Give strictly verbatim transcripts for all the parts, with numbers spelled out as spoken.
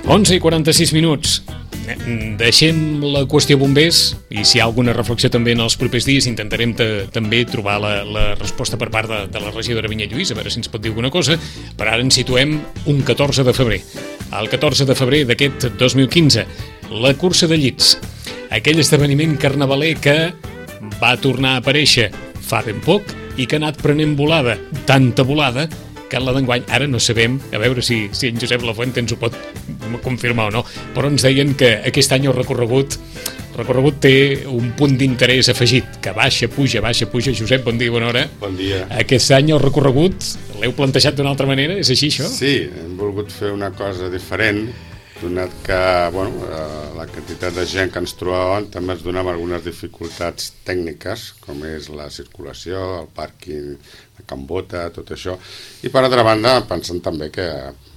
onze i quaranta-sis minuts. Deixem la qüestió bombers i si hi ha alguna reflexió també en els propers dies intentarem també trobar la, la resposta per part de, de la regidora Vinyet Lluís, a veure si ens pot dir alguna cosa. Per ara ens situem un catorze de febrer. El catorze de febrer d'aquest dos mil quinze, la cursa de llits, aquell esdeveniment carnavaler que va tornar a aparèixer fa ben poc i que ha anat prenent volada, tanta volada que la d'enguany, ara no sabem, a veure si, si en Josep Lafuente ens ho pot confirmar o no, però ens deien que aquest any el recorregut el recorregut té un punt d'interès afegit, que baixa, puja, baixa, puja. Josep, bon dia, bona hora. Bon dia. Aquest any el recorregut l'heu plantejat d'una altra manera, és així això? Sí, hem volgut fer una cosa diferent, donat que bueno, la quantitat de gent que ens trobàvem també ens donava algunes dificultats tècniques, com és la circulació, el pàrquing, la Can Bota, tot això. I per altra banda, pensant també que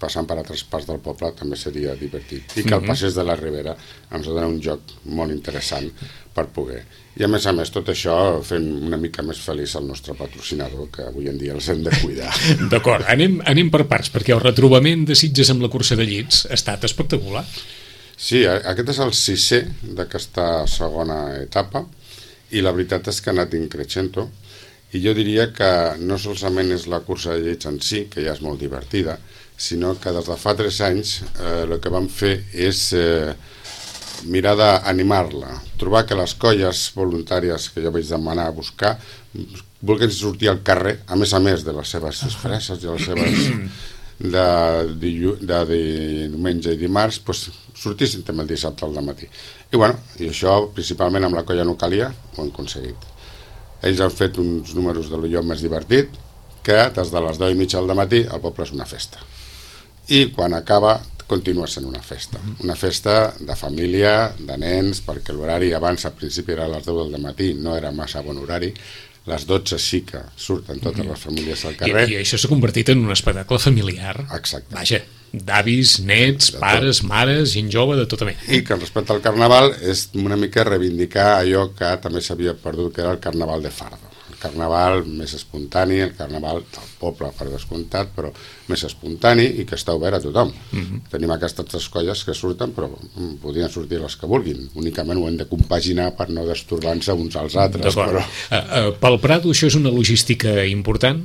passant per altres parts del poble també seria divertit. I que el Passeig de la Ribera ens dona un joc molt interessant per poder. I a més a més, tot això fent una mica més feliç el nostre patrocinador, que avui en dia els hem de cuidar. D'acord, anem, anem per parts, perquè el retrobament de Sitges amb la cursa de llits ha estat espectacular. Sí, aquest és el sisè d'aquesta segona etapa i la veritat és que ha anat increixent-ho. I jo diria que no solament és la cursa de llits en si, que ja és molt divertida, sinó que des de fa tres anys eh, el que vam fer és eh, mirar d'animar-la, trobar que les colles voluntàries que jo vaig demanar a buscar vulguin sortir al carrer, a més a més de les seves expresses i les seves de, de, de, de diumenge i dimarts, doncs, sortissin també el dissabte al matí. I, bueno, i això principalment amb la colla Nucalia ho hem aconseguit. Ells han fet uns números de l'Ulló més divertit, que des de les deu i mitja del matí el poble és una festa. I quan acaba continua sent una festa. Una festa de família, de nens, perquè l'horari abans, al principi era a les deu del matí, no era massa bon horari. Les dotze sí que surten totes les famílies al carrer. I, i això s'ha convertit en un espectacle familiar. Exacte. Vaja, d'avis, nets, pares, mares, gent jove, de tota mena. I que respecte al carnaval és una mica reivindicar allò que també s'havia perdut, que era el carnaval de fardo. El carnaval més espontani, el carnaval del poble per descomptat, però més espontani i que està obert a tothom. Uh-huh. Tenim aquestes tres colles que surten, però podrien sortir les que vulguin. Únicament ho hem de compaginar per no destorbar-se uns als altres. Però... Uh, uh, pel Prado això és una logística important?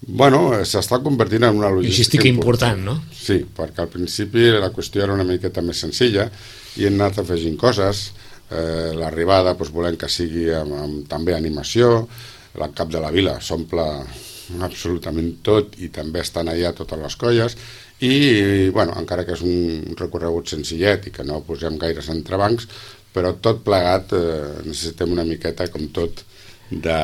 Bueno, s'està convertint en una logística, logística important, important, no? Sí, perquè al principi la qüestió era una miqueta més senzilla i hem anat afegint coses. Eh, l'arribada doncs, volem que sigui amb, amb també animació, el cap de la vila s'omple absolutament tot i també estan allà totes les colles i, bueno, encara que és un recorregut senzillet i que no posem gaires entrebancs, però tot plegat eh, necessitem una miqueta com tot de,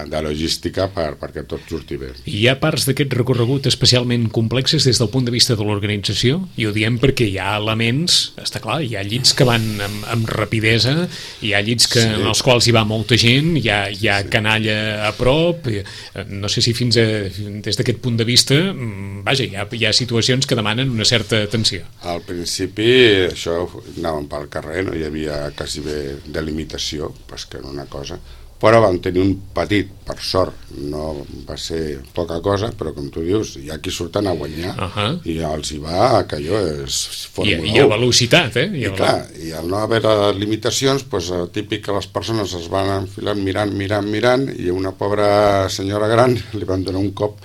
de logística per, perquè tot surti bé. Hi ha parts d'aquest recorregut especialment complexes des del punt de vista de l'organització? I ho diem perquè hi ha elements, està clar, hi ha llits que van amb, amb rapidesa, hi ha llits que, sí. en els quals hi va molta gent, hi ha, hi ha sí. canalla a prop, no sé si fins a, des d'aquest punt de vista, vaja, hi ha, hi ha situacions que demanen una certa atenció. Al principi això anàvem pel carrer, no hi havia quasi bé delimitació, pues que era una cosa, però vam tenir un petit, per sort, no va ser poca cosa, però com tu dius, hi ha qui surten a guanyar, uh-huh. i els hi va, que allò és Fórmula un. Hi ha velocitat, eh? I, I clar, i al no haver limitacions, doncs, típic que les persones es van enfilant mirant, mirant, mirant, i una pobra senyora gran li van donar un cop,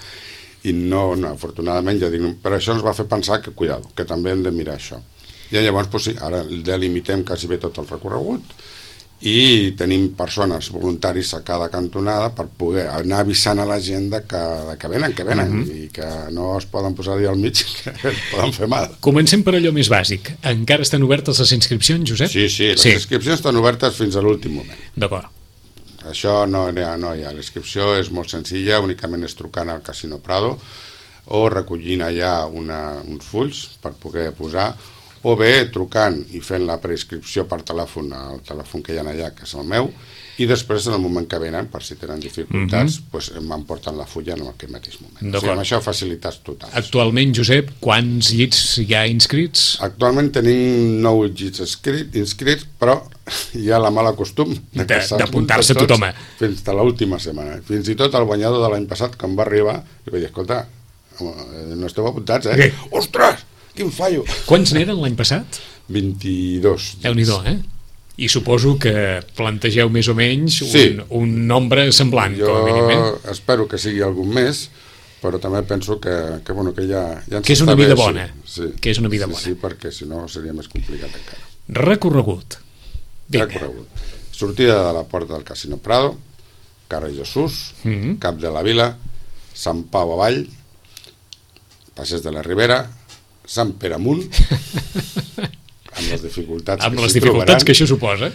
i no, no afortunadament, ja dic, però això ens va fer pensar que, cuidado, que també hem de mirar això. I llavors, doncs sí, ara delimitem quasi bé tot el recorregut, i tenim persones voluntaris a cada cantonada per poder anar avisant a la gent de que, de que venen, que venen, uh-huh. i que no es poden posar allà al mig, que es poden fer mal. Comencem per allò més bàsic. Encara estan obertes les inscripcions, Josep? Sí, sí, les sí. inscripcions estan obertes fins a l'últim moment. D'acord. Això no hi ha, no hi ha. L'inscripció és molt senzilla, únicament és trucant al Casino Prado o recollint allà una, uns fulls per poder posar, o bé trucant i fent la preinscripció per telèfon al telèfon que hi ha allà, que és el meu, i després en el moment que venen, per si tenen dificultats, mm-hmm. doncs m'emporten la fulla en aquell mateix moment. O sigui, amb això facilitats totals. Actualment, Josep, quants llits hi ha inscrits? Actualment tenim nou llits inscrits, inscrits però hi ha la mala costum de, d'apuntar-se a tothom. Fins a l'última setmana. Fins i tot el guanyador de l'any passat, quan va arribar, li vaig dir, escolta, no esteu apuntats, eh? Què? Ostres! quin fallo! Quants n'eren l'any passat? vint-i-dos. Déu-n'hi-do, eh? I suposo que plantegeu més o menys un, sí. un nombre semblant, jo com a mínim, eh? Jo espero que sigui algun més, però també penso que, que, bueno, que ja, ja ens que és una vida bé, bona. Sí, sí. Que és una vida sí, bona. Sí, perquè si no seria més complicat encara. Recorregut. Vinga. Recorregut. Sortida de la porta del Casino Prado, carrer Jesús, mm-hmm. Cap de la Vila, Sant Pau avall, Passeig de la Ribera, Sant Pere amunt, amb les dificultats, amb que, les dificultats trobaran, que això suposa.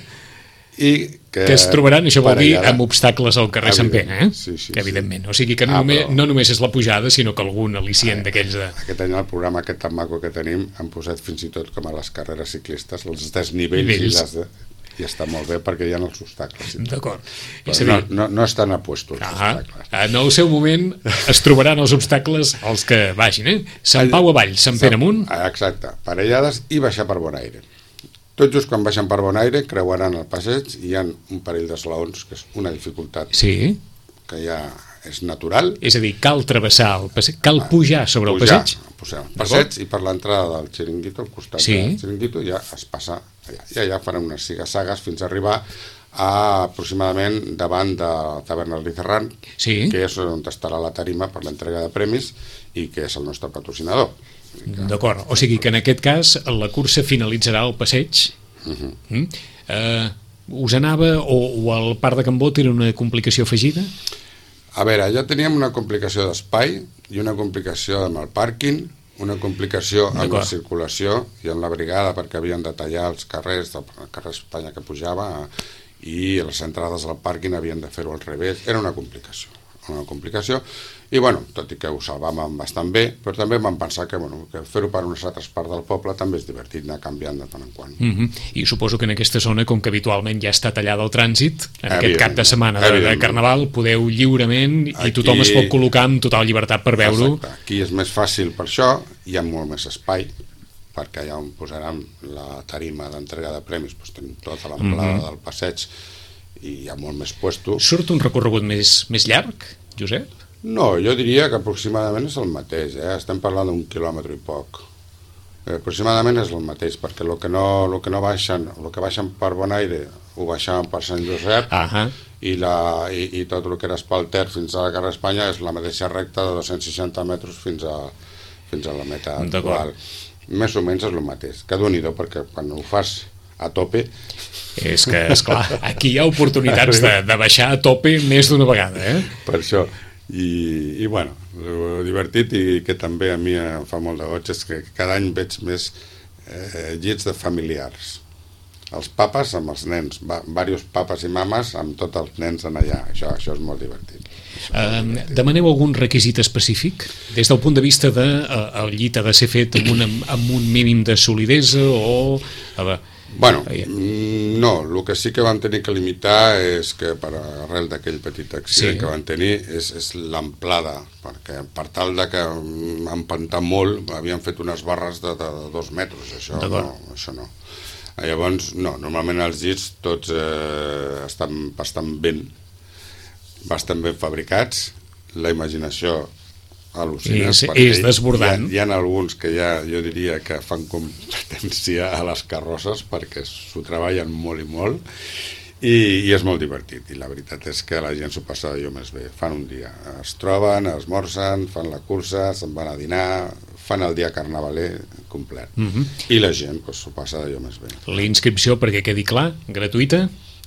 I que, que es trobaran, això vol dir, allà, amb obstacles al carrer Sant Pere, eh? Sí, sí, que evidentment. sí. O sigui que no, ah, només, però... no només és la pujada, sinó que algun al·licient ah, d'aquells de... Aquest any el programa aquest tan maco que tenim han posat fins i tot com a les carreres ciclistes, els desnivells i, les de... i està molt bé perquè hi ha els obstacles. D'acord. No, no, no estan a puestos els ah, obstacles. En el seu moment es trobaran els obstacles els que vagin, eh? Sant Pau avall, Sant Pere amunt. Exacte, parellades i baixar per Bonaire. Tot just quan baixen per Bonaire creuaran el passeig i hi ha un parell d'esglaons, que és una dificultat sí. que ja és natural. És a dir, cal travessar el passeig, cal pujar sobre pujar, el passeig. Pujar el passeig i per l'entrada del xiringuito, al costat sí. del xiringuito, ja es passa allà. I allà faran unes sigassagues fins a arribar a aproximadament davant de Taverna Licerrán, sí. que és on estarà la tarima per l'entrega de premis i que és el nostre patrocinador. D'acord, o sigui que en aquest cas la cursa finalitzarà al passeig. Uh-huh. mm? uh, us anava o, o el Parc de Can Bot era una complicació afegida? A veure, ja teníem una complicació d'espai i una complicació amb el pàrquing, una complicació amb la circulació i amb la brigada perquè havien de tallar els carrers del carrer Espanya que pujava i les entrades al pàrquing havien de fer-ho al revés. Era una complicació una complicació i bueno, tot i que ho salvàvem bastant bé, però també vam pensar que, bueno, que fer-ho per unes altres parts del poble també és divertit anar canviant de tant en quant. Mm-hmm. I suposo que en aquesta zona, com que habitualment ja està tallada el trànsit, en aquest cap de setmana de, de Carnaval podeu lliurement i aquí, tothom es pot col·locar amb total llibertat per veure-ho. Aquí és més fàcil per això, hi ha molt més espai perquè allà on posaran la tarima d'entrega de premis, doncs tenim tota l'amplada mm-hmm. del passeig i hi ha molt més puesto. Surt un recorregut més, més llarg, Josep? No, jo diria que aproximadament és el mateix, eh? Estem parlant d'un quilòmetre i poc. Eh, aproximadament és el mateix, perquè el que no, lo que no baixen, el que baixen per Bonaire ho baixaven per Sant Josep uh-huh. i, la, i, i tot el que era Espalter fins a la carrer Espanya és la mateixa recta de dos-cents seixanta metres fins a, fins a la meta actual. Més o menys és el mateix, que doni-do, perquè quan ho fas a tope... És que, esclar, aquí hi ha oportunitats de, de baixar a tope més d'una vegada, eh? Per això, i, i bueno, divertit i que també a mi em fa molt de goig és que cada any veig més eh, llits de familiars. Els papes amb els nens, va, diversos papes i mames amb tots els nens en allà, això, això és molt divertit. Uh, demaneu algun requisit específic des del punt de vista de uh, el llit ha de ser fet amb, una, amb un mínim de solidesa o... Uh, Bueno, no, el que sí que van tenir que limitar és que per arrel d'aquell petit accident sí. que van tenir és, és l'amplada, perquè per tal de que empantar molt havien fet unes barres de, de, de dos metres, això no, això no. Llavors, no, normalment els llits tots eh, estan bastant ben, bastant ben fabricats, la imaginació al·lucina, és, és desbordant. Hi ha, hi ha alguns que ja jo diria que fan competència a les carrosses perquè s'ho treballen molt i molt i, i és molt divertit i la veritat és que la gent s'ho passa d'allò més bé, fan un dia, es troben, esmorzen, fan la cursa, se'n van a dinar, fan el dia carnavaler complet mm-hmm. i la gent s'ho pues, passa d'allò més bé. La inscripció, perquè quedi clar, gratuïta?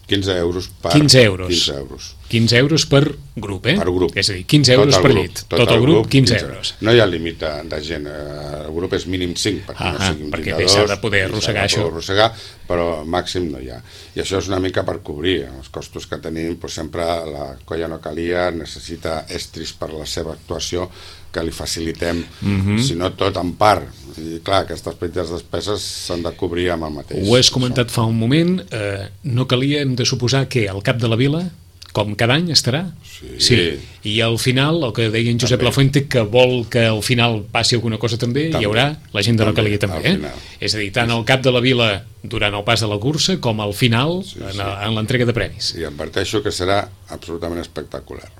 quinze euros per... quinze euros. quinze euros. quinze euros per grup, eh? Per grup. És a dir, quinze euros per grup, llit. Tot, tot el grup, quinze, quinze euros. No hi ha límit de, de gent. El grup és mínim cinc, perquè ah, no siguin perquè vint-i-dos. s'ha de poder arrossegar això. Arrossegar, però màxim no hi ha. I això és una mica per cobrir els costos que tenim. Pues sempre la colla no calia, necessita estris per la seva actuació, que li facilitem, mm-hmm. si no tot en part. I clar, aquestes petites despeses s'han de cobrir amb el mateix. Ho has comentat fa un moment, eh, no calia, hem de suposar que al cap de la vila, com cada any estarà? Sí. sí. I al final, el que deia en Josep també. Lafuente, que vol que al final passi alguna cosa també, també. Hi haurà la gent de també, no calia també. Eh? És a dir, tant al cap de la vila durant el pas de la cursa com al final sí, sí. en, en l'entrega de premis. I adverteixo que serà absolutament espectacular.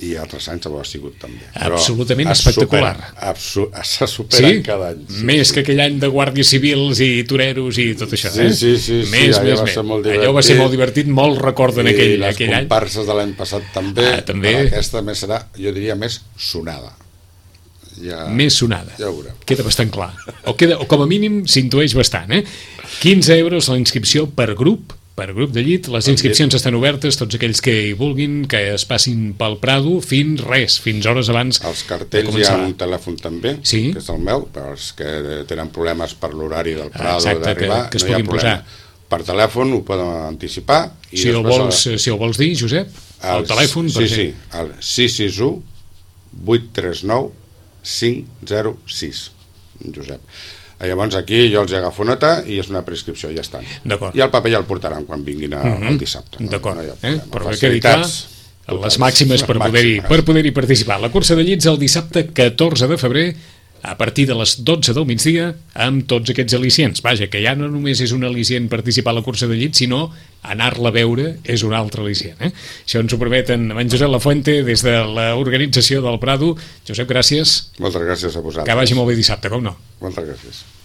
i altres anys ho ha sigut també. Absolutament espectacular. Se superen sí? cada any. Sí, més sí. que aquell any de guàrdies civils i toreros i tot això. Sí, eh? sí, sí. Més, sí, més, va més. ser molt divertit. Allò va ser molt divertit, molt recorden aquell, I les aquell any. comparses de l'any passat també. Ah, també. Però aquesta més serà, jo diria, més sonada. Ja, més sonada. Ja ho veurem. Queda bastant clar. O, queda, o com a mínim s'intueix bastant. Eh? quinze euros la inscripció per grup, per grup de llit. Les inscripcions estan obertes, tots aquells que hi vulguin, que es passin pel Prado fins res, fins hores abans. Els cartells hi ha un telèfon també, sí? que és el meu, per als que tenen problemes per l'horari del Prado d'arribar, que, que no hi ha problema. Posar. Per telèfon ho poden anticipar. I si, ho vols, el... si ho vols dir, Josep, el, el telèfon... Sí, sí, el sis sis u vuit tres nou cinc zero sis, Josep. Llavors aquí jo els agafo nota i és una prescripció, ja estan. I el paper ja el portaran quan vinguin a, uh-huh. el dissabte. No? D'acord, no eh? Però que quedi clar les màximes per poder-hi per poder-hi participar. La cursa de llits el dissabte catorze de febrer a partir de les dotze del migdia amb tots aquests al·licients. Vaja, que ja no només és un al·licient participar a la cursa de llits, sinó anar-la a veure és un altre al·licient. Eh? Això ens ho permeten amb en Josep Lafuente des de l'organització del Prado. Josep, gràcies. Moltes gràcies a vosaltres. Que vagi molt bé dissabte, com no? Moltes gràcies.